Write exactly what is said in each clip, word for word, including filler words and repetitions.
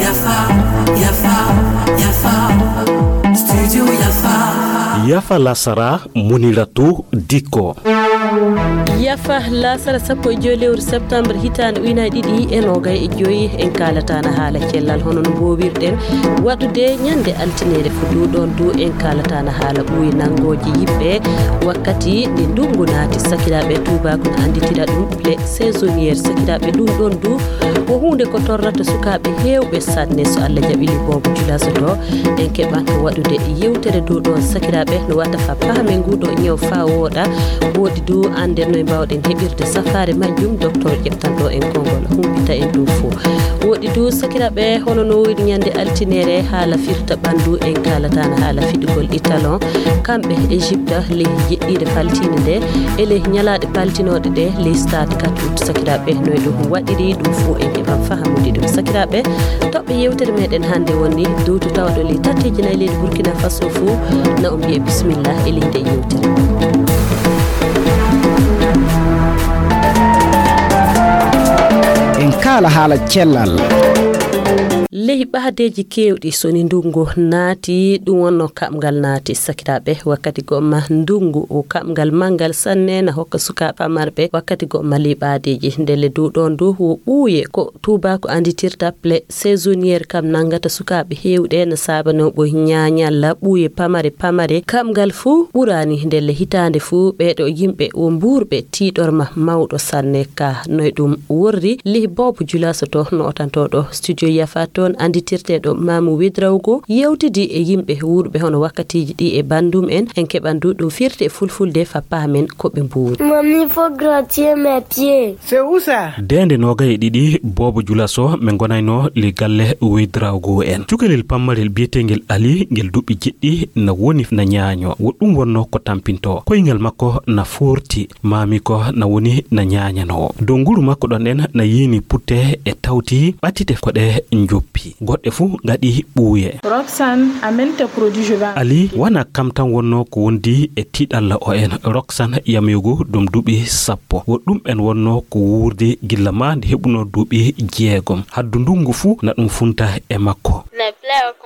Yafa, yafa, yafa. Studio yafa. Yafa lasara, Muniratu Dikko. Yafa lasara sappo e joy lewru septembre hitaande ujunaaji ɗiɗi e noogay e joy. En kaalataana haala cellal hono no mboowirɗen waɗude ñande altineere fof du ɗoon du. En kaalataana haala ɓuuye nanngooje yimɓe wakkati nde ndunngu naati. Sakiraaɓe tuubaaku no annditira ɗum les saisonnières. Sakiraaɓe ɗum ɗoon du ko huunde ko torrata sukaaɓe heewɓe sanne. So Allah jaɓi li boobo julasoto en keɓan waɗude yewtere du ɗoon. Sakiraaɓe no wata fa paame nguuɗo ñaw fa wooɗa. Woɗi du annden no e mbawɗen heɓirde safaare majjum. Docteur ƴeftanɗo en konngol humpita en ɗum fof. Woɗi du sakiraaɓe hono no woni ñande altineere haala firta ɓanndu en kaalataana haala fiɗugol italon. Kamɓe Égypte ley jeɗɗiire paltiinde nde e ley ñalaaɗe paltinooɗe ɗe ley stade quatre août. Sakiraaɓe no e ɗum waɗiri ɗum fof en keɓan fahamude ɗum. Sakiraaɓe toɓɓe yewtere meɗen hannde woni dowtu tawaɗo ley tatteji nayi leydi Burkina Faso fof na on mbiye bisimilla e ley nde yewtere. En kaala haala cellal. Ley ɓaadeeji keewɗi so ni ndunngu naati ɗum wonno kaɓngal naati sakiraaɓe wakkati gomma ndunngu o kaɓngal manngal sanne na hokka sukaaɓe marɓe wakkati gomma ley ɓaadeeji ndelle du ɗoon du wo ɓuuye ko tuubaaku annditirta plaie saisonnière kam nanngata sukaaɓe heewɓe na saabanoo ɓoy ñaañalla ɓuuye pamare pamare kaɓngal fuu ɓuraani ndelle hitaande fuu ɓeeɗo yimɓe wo mbuurɓe tiiɗorma mawɗo sanne ka no e ɗum worri lih boobo julaso to no otantooɗo studio yafa toon annditirteeɗo maamu wedrawgo yewtidi e yimɓe wuurɓe hono wakkatiiji ɗi e banndum en en keɓan du ɗum firti e fulfulde fa paamen ko ɓe mbuuri. Mami, faut grattier mes pieds. C'est où ça? Deende noogay e ɗiɗi boobo julaso min ngonayno li galle wedrawgo en cukalel pammarel biyeteengel ali ngel duɓɓi jeɗɗi na woni na ñaaño wo ɗum wonno ko tampinto koyngal makko na foorti maami ko na woni na ñaañanoo dow nguru makko ɗon ɗen na yiini putte e tawti ɓattite ko ɗe njoppi goɗɗe fuu ngaɗi ɓuuye. Roxane, amène tes produits, je vais. Ali wana kam tan wonno ko wondi e tiɗalla o en Roxane yamego ɗum duuɓi sappo wo ɗum en wonno ko wuurde gilla ma nde heɓuno duuɓi jeegom haddu ndungu fuu na ɗum funta e makko.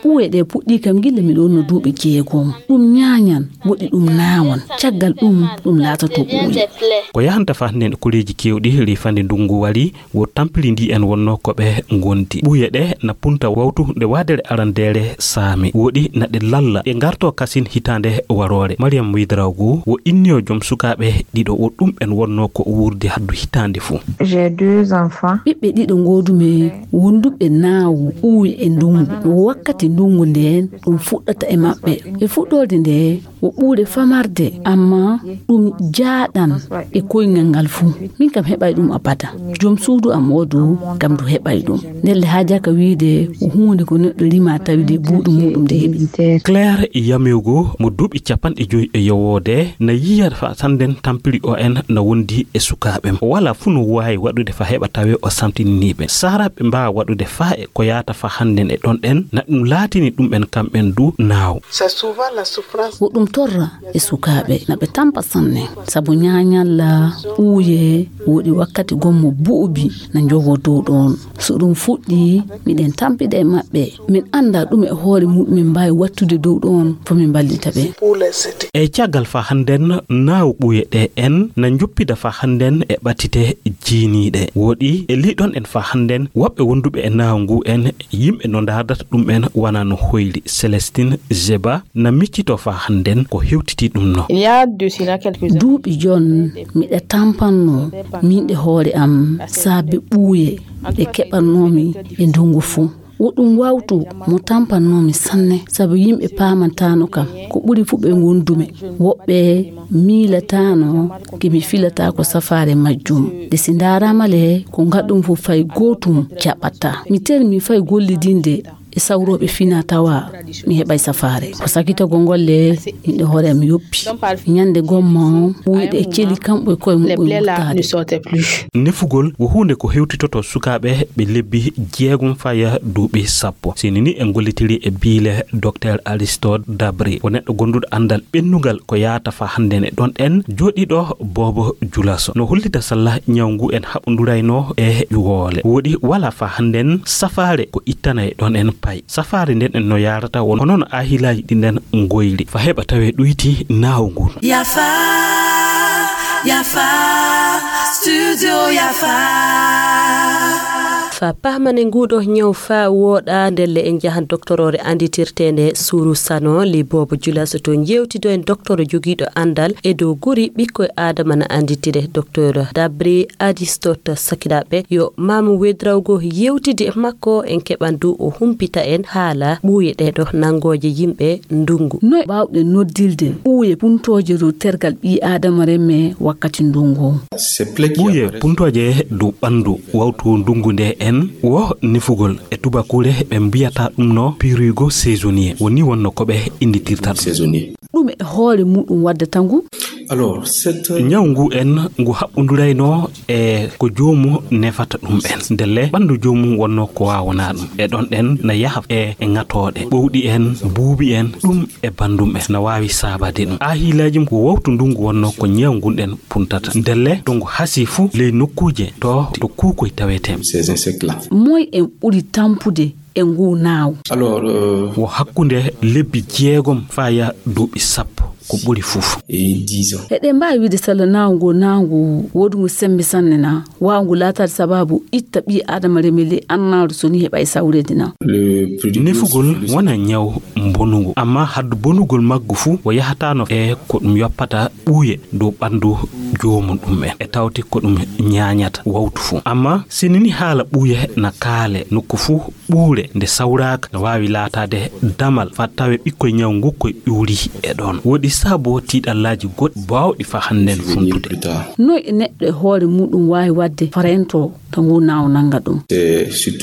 Ɓuuye ɗe puɗɗii kam gilla miɗo wonno duuɓi jeegom ɗum ñaañan woɗi ɗum naawan caggal ɗum ɗum laatoto ɓuuye. Ko yahanta fa hannde e koreeji keewɗi rifande ndungu wari wo tampiri ndi en wonno ko ɓe ngondi ɓuuye ɗe na punta wawtu nde waadere arandeere saami woɗi na ɗe lalla ɗe ngarto kasin hitaande waroore mariyam widrago wo inniyo joom sukaaɓe ɗiɗo wo ɗum en wonno ko wuurde haddu hitaande fuu. J'ai deux enfants. Ɓiɓɓe ɗiɗo ngoodumi wonduɓe naawu ɓuuye e ndungu wakkati ndungu nden ɗum fuɗɗata e maɓɓe e fuɗɗorde nde wo ɓuuɗe famarde amma ɗum jaaɗan e koyngal ngal fuu min kam heɓay ɗum abada joom suudu am oo du kam du heɓay ɗum ndelle haajaka wiide ko huunde ko neɗɗo rima tawi de buuɗu muɗum de heɓi. Claire yamego mo duuɓi capanɗe joyi e yowoode na yiya fa sanden tampiri o en na wondi e sukaaɓe wala fuu no waawi waɗude fa heɓa tawe o samtininiiɓe sahraɓe mbaawa waɗude fa e ko yaata fa hannden e ɗon ɗen na ɗum laatini ɗum en kamɓen du naaw. Ko ɗum torra e sukaaɓe na ɓe tampa sanne sabu ñaañalla ɓuuye woɗi wakkati gommo buubi na njogo dow ɗon so ɗum fuɗɗi miɗen tampida e maɓɓe min annda ɗum e hoore muɗum min mbaawi wattude dow ɗon fo min mballita ɓe. E caggal fa hannden naaw ɓuuye ɗe en na njoppida fa hannden e ɓattite jiiniiɗe woɗi e liɗon en fa hannden woɓɓe wonduɓe e naaw ngu en yimɓe no ndaardata ɗum en wana no hoyri célestine zeba na miccito fa hannden ko hewtiti ɗum no. Duuɓi jon miɗa tampanno min e hoore am saabe ɓuuye ɗe keɓannoomi e ndungu fuu wo ɗum wawtu mo tampannoomi sanne sabu yimɓe paamantaano kam ko ɓuri fuu ɓe ngondumi woɓɓe miilataano ke mi filata ko safaare majjum de si ndaarama le ko ngaɗum fuu fay gootum jaɓata mi termi fay gollidinde e sawrooɓe fina tawa mi heɓay safaare. Ko sakitagol ngol le, min e hoore am yoppi. Ñande gomma on, ɓuyɗe e celi kamɓe e koye muɓɓen wurtaade. Nefugol ko huunde ko hewtitoto sukaaɓe ɓe lebbi jeegom faya duuɓi sappo. Sini ni en gollitiri e biile Docteur Aristote Dabri, ko neɗɗo gonduɗo anndal ɓennungal ko yaata fa hannden e ɗon en jooɗiiɗo Boobo Julaso. No hollita salla ñaw ngu en haɓondurayno e woole. Woɗi wala fa hannden safaare ko ittanay ɗon en pay. Safaare nden en no yaarata won hono no ahilaaji ɗin nden ngoyri. Fa heɓa tawe ɗuyti naawu ngun. Yafa, yafa, studio yafa. Fa pahmane nguɗo ñaw fa woɗa ndelle en jahan doktoroore anditirteende Suru Sano li Boobo Julaso to jewtido en doktoro jogiiɗo andal e dow guri ɓikkoy Adama na anditire. Doktor Dabri Aristote sakiraaɓe yo maamu wedrawgo yewtidi e makko en keɓan du o humpita en haala ɓuuye ɗeɗo nangooje yimɓe ndungu. Noy baawɗen noddilde ɓuuye puntooje dow tergal ɓii Adama remme wakkati ndungu? Ɓuuye puntooje dow ɓandu wawtu ndungu nde en wo nefugol e tubakure ɓe mbiyata ɗum no pirigo saisonnier woni wonno ko ɓe inditirta ɗum. Ɗum e hoore muɗum waddata ngu? Ñaw ngu en ngu haɓɓondurayno e ko joomu nefata ɗum en. Ndelle ɓandu joomum wonno ko waawona ɗum. E ɗon ɗen na yaha e, e ŋatooɗe, ɓowɗi en, buubi en, ɗum e bandum en. Na waawi saabade ɗum. Aahiilaaji ko wawtu ndungu wonno ko ñaw ngun ɗen puntata. Ndelle to ngu hasi fu ley nokkuuje to, to kuukoy tawete. Moy en ɓuri tampude e ngu naaw? Wo hakkunde lebbi jeegom faya duuɓi sappo ko ɓuri fuf. Eɗen mbaawi wiide sella naaw ngu naaw ngu woodungu sembe sanne na waawa ngu laataade sababu itta ɓii Adama reme ley annaaru so ni heɓa e sawreede na? Nefugol wona ñaw mbonungu, amma haddu bonugol maggu fu o yahataano e ko ɗum yoppata ɓuuye dow ɓandu joomum ɗum en. E tawti ko ɗum ñaañata wawtu fu. Amma sinini haala ɓuuye na kaale nokku fu ɓuure nde sawraaka no waawi laataade damal fa tawe ɓikkoy ñaw ngukkoy ƴuuri e ɗon. Woɗi saabo tiiɗallaaji goɗɗi baawɗi fa hannden funtude. Noy e neɗɗo e hoore muɗum waawi waɗde farento to ngu naaw nannga ɗum?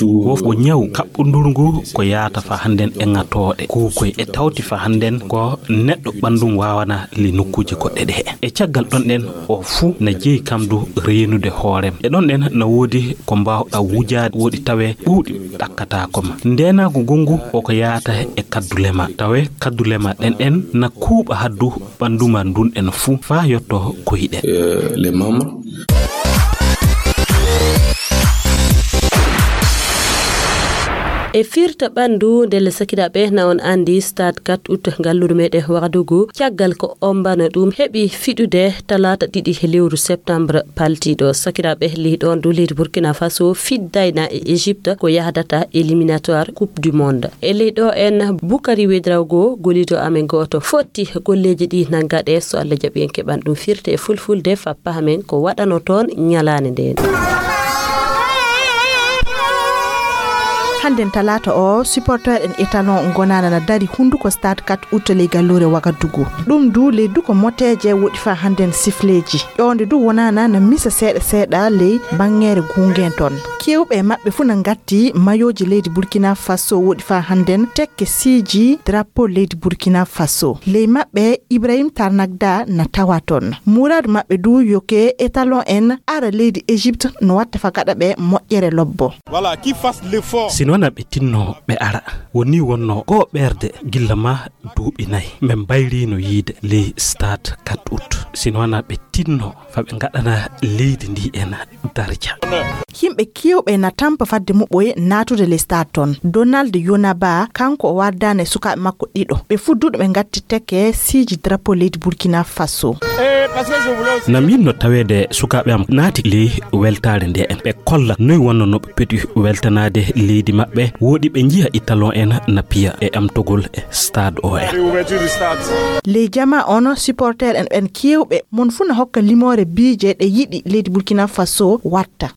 Wo, wo ñaw kaɓɓonduru ngu ko yaata fa hannden e ŋatooɗe kuukoy e tawti fa hannden ko neɗɗo ɓandum waawana li nokkuuje goɗɗe ɗe. E caggal ɗon ɗen o fuu na jeyi kam du reenude hoorem. E ɗon ɗen na woodi ko mbaawɗa wujaade woɗi tawe ɓuuɗi ɗakkataako ma. Ndeenaagu ngongu o ko yaata e kaddule ma. Tawe kaddule ma ɗen ɗen na kuuɓa haddu ɓandu ma ndun ɗen fuu faa yotto koyɗe. E firta ɓandu ndelle sakiraaɓe na on andi stade quatre août ngalluru meɗen Wagadugu caggal ko ombano ɗum heɓi fiɗude talaata ɗiɗi lewru septembre paltiɗo. Sakiraaɓe ley ɗon du leydi Burkina Faso fiddayna e Égypte ko yahdata éliminatoire coupe du monde. E ley ɗo en Bukari Wedrawgo golido amen goto fotti golleji ɗi na gaɗe so Allah jaɓi en keɓan ɗum firte e fulfulde fappa amen ko waɗano toon ñalaande nden. Hannden talaata o supporter en étalon gonana na dari hunduko stade quatre août ley gallure Wagadugu. Ɗum du ley duko moteje woɗi fa hannden sifleji ƴoonde du wonana na misa seeɗa seeɗa ley banngere gungen ton. Kewɓe maɓɓe fu na ngatti mayoji leydi Burkina Faso woɗi fa hannden tekke siiji drapeau leydi Burkina Faso. Ley maɓɓe Ibrahim Tarnagda na tawa ton. Muradu maɓɓe du yoke étalon en ara leydi Égypte no watta fa gaɗa ɓe moƴƴere lobbo. Si noon ɓe tinno ɓe ara woni wonno goo ɓerde gilla ma duuɓi nayi. Min mbayrino yiide ley stade quatre août. Si noon ɓe tinno fa ɓe ngaɗana leydi ndi en darja. Yimɓe kewɓe na tampa fadde muɓɓoy naatude ley stade ton. Donald Yonaba kanko o wardani e sukaaɓe makko ɗiɗo. Ɓe fudduɗo ɓe ngatti teke siiji drapeau leydi Burkina Faso. Na min no taweede sukaaɓe am naati ley weltaare nde en. Ɓe kolla noy wonno no ɓe peti weltanaade leydi maɓɓe. Woɗi ɓe njiya italon en na piya e amtogol e stade o en. Ley jama on supporter en ɓen kewɓe mon fu na hokka limoore biije ɗe yiɗi leydi Burkina Faso watta.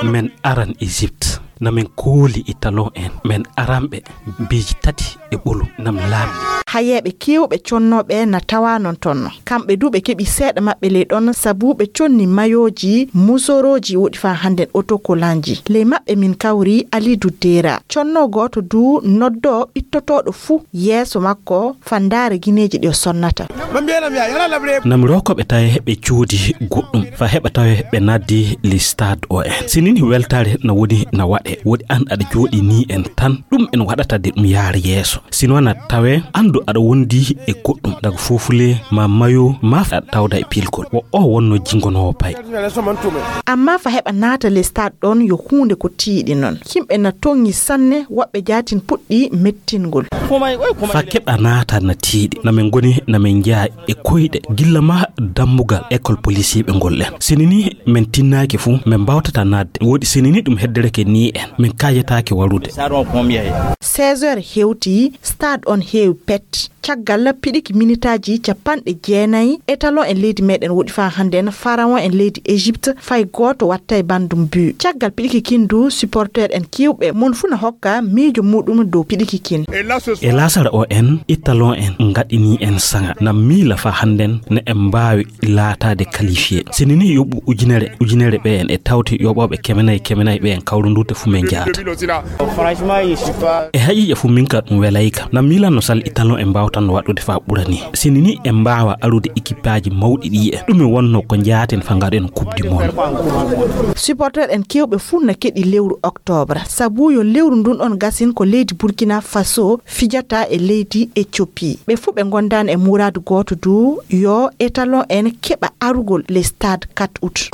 Men aran Egypte. Na men kooli e talon en, men aranɓe beeji tati e ɓolum, nam laamni. Hayeeɓe keewɓe connooɓe na tawaa non toon. Kamɓe du ɓe keɓi seeɗa maɓɓe ley ɗon, sabu ɓe conni mayooji, musorooji woɗi faa hannden otokolanji. Ley maɓɓe min kawri Alidu Deera. Connoo gooto du noddoo ɓittotooɗo fuu yeeso makko fandaare gineeji ɗi o sonnata. Na mi rokoo ɓe tawe ɓe coodi goɗɗum, faa heɓa tawe ɓe naddi le stade o en. Si nini weltaare na woni na waɗe, woɗi an aɗa jooɗi ni en tan, ɗum en waɗata de ɗum yaara yeeso. Sino na tawe, anndu aɗa wondi e goɗɗum, daga fofule, ma mayo, ma aɗa tawda e pilkol. Wo o wonno jingonoowo pay. Amma fa heɓa naata le stade ɗon yo huunde ko tiiɗi non. Yimɓe na tonŋi sanne, woɓɓe jaatin puɗɗi mettingol. Fa keɓa naata na tiiɗi. Na men ngoni, na men njeya e koyɗe. Gilla ma dambugal école policier ɓe ngol ɗen. Sinini men tinnaaki fu, men mbawtata naatde. Woɗi sinini ɗum heddereke ni en. Men kaayetaake warude. Seize heures hewti, stade on heewi pet. Caggal piɗiki minitaaji capanɗe jeenayi, étalon en leydi meɗen woɗi faa hannden, pharaon en leydi Égypte, fay gooto wattay banndum but. Caggal piɗiki kin du, supporter en kiwɓe, mon fu na hokka miijo muɗum dow piɗiki kin. E laasara o en, étalon en ngaɗini en saŋa. Na miila faa hannden ne en mbaawi laataade qualifié. Sinini yoɓu ujunere, ujunere ɓe en e tawti yoɓooɓe kemenay, kemenay ɓe en kawrundurte fu men njaata. E haqiiqa fu min ka ɗum welayka. Na miilanno sal étalon en mbaawtanno waɗude faa ɓurani. Sinini en mbaawa arude équipaaji mawɗi ɗi en. Ɗum e wonno ko njaaten faa ngaɗen Coupe du Monde. Supporter en kewɓe fu na keɗi lewru octobre. Sabu yo lewru ndun on gasin ko leydi Burkina Faso fijata e leydi Éthiopie. Ɓe fu ɓe ngondaani e muraadu gooto du yo étalon en keɓa arugol le stade quatre août.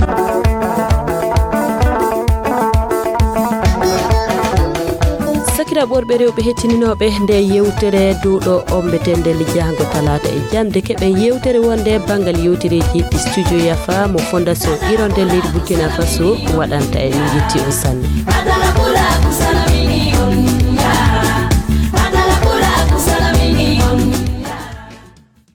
Sakiraaɓe worɓe rewɓe hettininooɓe nde yewtere duuɗo ommbetende lijaango talaata e jannde, keɓen yewtere wonde banngal yewtereeji ɗi studio Yafa mo Fondation Hirondelle leydi Burkina Faso waɗanta en. Min yetti on sanne.